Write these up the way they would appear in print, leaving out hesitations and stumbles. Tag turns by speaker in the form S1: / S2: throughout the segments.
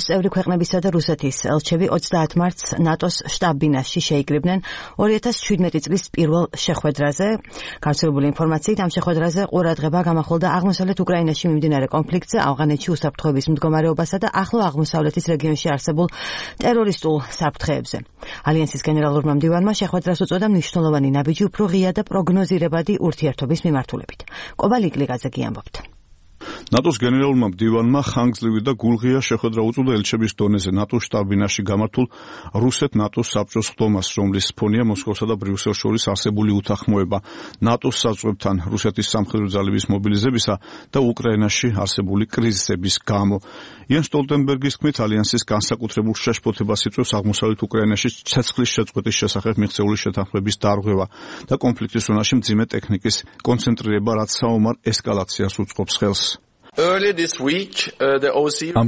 S1: ნატოს წევრი ქვეყნებისა და რუსეთის ელჩები 30 მარტს ნატოს შტაბ-ბინაში შეიკრიბნენ 2017 წლის პირველ შეხვედრაზე. გავრცელებული ინფორმაციით ამ შეხვედრაზე ყურადღება გამახვილდა აღმოსავლეთ უკრაინაში მიმდინარე კონფლიქტზე, ავღანეთში უსაფრთხოების მდგომარეობასა და ახლო აღმოსავლეთის რეგიონში არსებულ ტერორისტულ საფრთხეებზე. ალიანსის გენერალურმა მდივანმა შეხვედრას უწოდა მნიშვნელოვანი ნაბიჯი უფრო ღია და პროგნოზირებადი ურთიერთობის მიმართულებით. კობა ლიკლიკაძე ამბობთ.
S2: ნატოს გენერალურმა მდივანმა ხანგრძლივი და გულღია შეხვედრა უწოდა ელჩების დონეზე ნატოს შტაბ-ბინაში გამართულ რუსეთ-ნატოს საბჭოს ხდომას, რომლის ფონია მოსკოვსა და ბრიუსელს შორის არსებული უთანხმოება ნატოს საზღვრებთან რუსეთის სამხედრო ძალების მობილიზებისა და უკრაინაში არსებული კრიზისების გამო. იან სტოლტენბერგის თქმით, ალიანსის განსაკუთრებულ შეშფოთებას იწვევს აღმოსავლეთ უკრაინაში ცეცხლის შეწყვეტის შესახებ მიღწეული შეთანხმების დარღვევა და კონფლიქტის ზონაში მძიმე ტექნიკის კონცენტრირება, რაც საომარ ესკალაციას უწყობს ხელს.
S3: ამ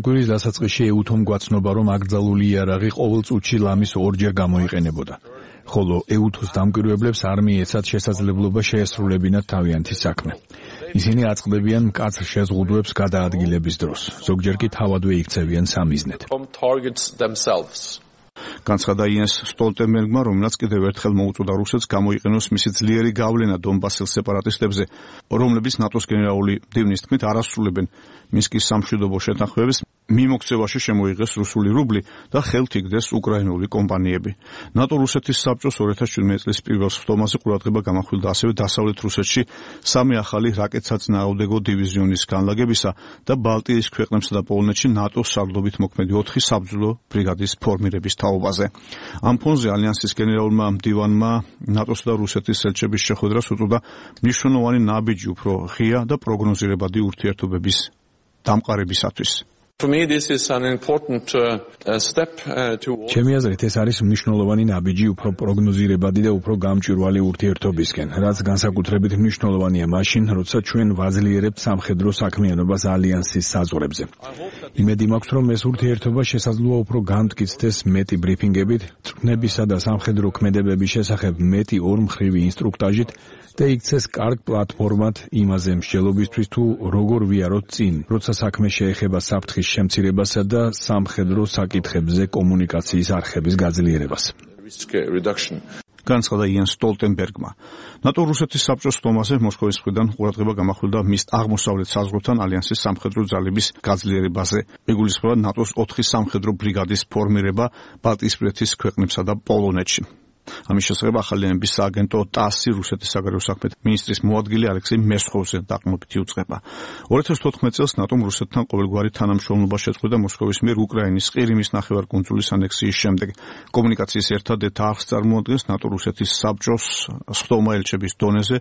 S3: კვირის დასაწყისში ეუთომ გვაცნობა, რომ აკრძალული იარაღი ყოველ წუთში ლამის ორჯერ გამოიყენებოდა. ხოლო ეუთოს დამკვირვებლებს არ მიეცათ შესაძლებლობა შეესრულებინათ თავიანთი საქმე. ისინი აწყდებიან მკაცრ შეზღუდვებს გადაადგილების დროს, ზოგჯერ კი თავადვე იქცევიან სამიზნედ.
S2: განცხადა იენს სტოლტენბერგმა, რომელმაც კიდევ ერთხელ მოუწოდა რუსეთს გამოიყენოს მისი ძლიერი გავლენა დონბასის სეპარატისტებზე, რომლებიც ნატოს გენერალური მდივნის თქმით არ ასრულებენ მინსკის სამშვიდობო შეთანხმებებს, მიმოქცევაში შემოიღეს რუსული რუბლი და ხელთ იგდეს უკრაინული კომპანიები. ნატო-რუსეთის საბჭოს 2017 წლის პირველ ხდომაზე ყურადღება გამახვილდა ასევე დასავლეთ რუსეთში 3 ახალი რაკეტსაწინააღმდეგო დივიზიონის განლაგებისა და ბალტიის ქვეყნებსა და პოლონეთში ნატოს სარდლობით მოქმედი 4 საბრძოლო ბრიგადის ფორმირების თაობაზე. ამ ფონზე ალიანსის გენერალურმა მდივანმა ნატოს და რუსეთის ელჩების შეხვედრას უწოდა მნიშვნელოვანი ნაბიჯი უფრო ღია და პროგნოზირებადი ურთიერთობების დამყარებისათვის.
S3: ჩემი აზრით ეს არის მნიშვნელოვანი ნაბიჯი უფრო პროგნოზირებადი და უფრო გამჭვირვალე ურთიერთობისკენ, რაც განსაკუთრებით მნიშვნელოვანია მაშინ, როცა ჩვენ ვაძლიერებთ სამხედრო საქმიანობას ალიანსის საზღვრებზე. იმედი მაქვს, რომ ეს ურთიერთობა შესაძლოა უფრო განმტკიცდეს მეტი ბრიფინგებით, წვნებისა და სამხედრო ქმედებების შესახებ მეტი ორმხრივი ინსტრუქტაჟით და იქცეს კარგ პლატფორმად იმაზე მსჯელობისთვის თუ როგორ ვიაროთ წინ, როცა საქმე შეეხება საფრთხის შემცირებასა და სამხედრო საკითხებზე კომუნიკაციის არხების გაძლიერებას.
S2: განცხადა იენ სტოლტენბერგმა. ნატო-რუსეთის საბჭოს ხდომაზე მოსკოვის მხრიდან ყურადღება გამახვილდა მის აღმოსავლეთ საზღვრთან ალიანსის სამხედრო ძალების გაძლიერებაზე. ეგულისხმება ნატოს 4 სამხედრო ბრიგადის ფორმირება ბალტიისპირეთის ქვეყნებსა და პოლონეთში. ამის შესახებ ახალიანების სააგენტო ტასი რუსეთის საგარეო საქმეთა მინისტრის მოადგილე ალექსეი მესხოვზე დაყრდნობითი უწყება. 2014 წელს ნატომ რუსეთთან ყოველგვარი თანამშრომლობა შეწყვეტა მოსკოვის მიერ უკრაინის ყირიმის ნახევარკუნძულის ანექსიის შემდეგ. კომუნიკაციის ერთადერთ არხს წარმოადგენს ნატო-რუსეთის საბჭოს ხდომა ელჩების დონეზე,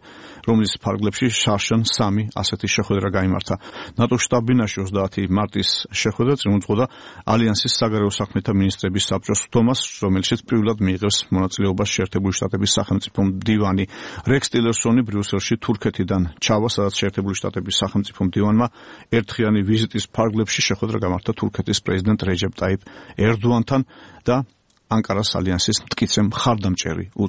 S2: რომლის ფარგლებში შარშან 3 ასეთი შეხვედრა გაიმართა. ნატოს შტაბ-ბინაში 30 მარტის შეხვედრა წინ უძღოდა ალიანსის საგარეო საქმეთა მინისტრების საბჭოს ხდომას, რომელშიც პირველად მიიღებს მონაწილეობა შეერთებული შტატების სახელმწიფო მდივანი რექს ტილერსონი ბრიუსელში თურქეთიდან ჩავა, სადაც შეერთებული შტატების სახელმწიფო მდივანმა ერთხიანი ვიზიტის ფარგლებში შეხვედრა გამართა თურქეთის პრეზიდენტ რეჯეპ ტაიპ ერდოანთან და ანკარას ალიანსის მტკიცე მხარდამჭერი უწოდა.